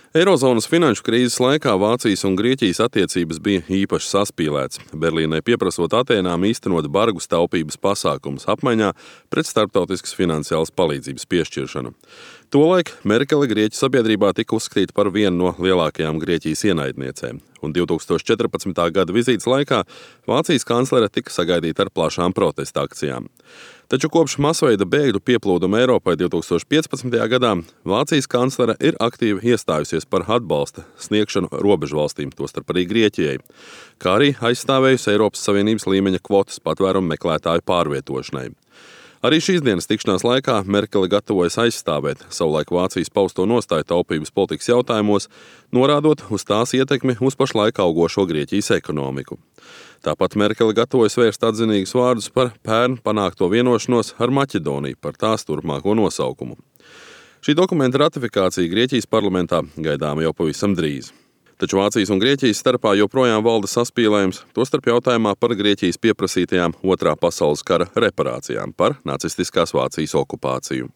Eirozonas finanšu krīzes laikā Vācijas un Grieķijas attiecības bija īpaši saspīlētas, Berlīnai pieprasot Atēnām īstenot bargus taupības pasākumus apmaiņā pret starptautiskas finansiālas palīdzības piešķiršanu. Tolaik Merkele Grieķu sabiedrībā tika uzskatīta par vienu no lielākajām Grieķijas ienaidniecēm, un 2014. gada vizītes laikā Vācijas kanclere tika sagaidīta ar plašām protesta akcijām. Taču kopš masveida bēgļu pieplūduma Eiropai 2015. gadā Vācijas kanclere ir aktīvi iestājusies par atbalsta sniegšanu robežvalstīm, tostarp arī Grieķijai, kā arī aizstāvējusi Eiropas Savienības līmeņa kvotas patvērumu meklētāju pārvietošanai. Arī šīs dienas tikšanās laikā Merkele gatavojas aizstāvēt savulaik Vācijas pausto nostāju taupības politikas jautājumos, norādot uz tās ietekmi uz pašlaik augošo Grieķijas ekonomiku. Tāpat Merkele gatavojas vērst atzinīgus vārdus par pērn panākto vienošanos ar Maķedoniju par tās turpmāko nosaukumu. Šī dokumenta ratifikācija Grieķijas parlamentā gaidāma jau pavisam drīz. Taču Vācijas un Grieķijas starpā joprojām valda saspīlējums, tostarp jautājumā par Grieķijas pieprasītajām Otrā pasaules kara reparācijām par nacistiskās Vācijas okupāciju.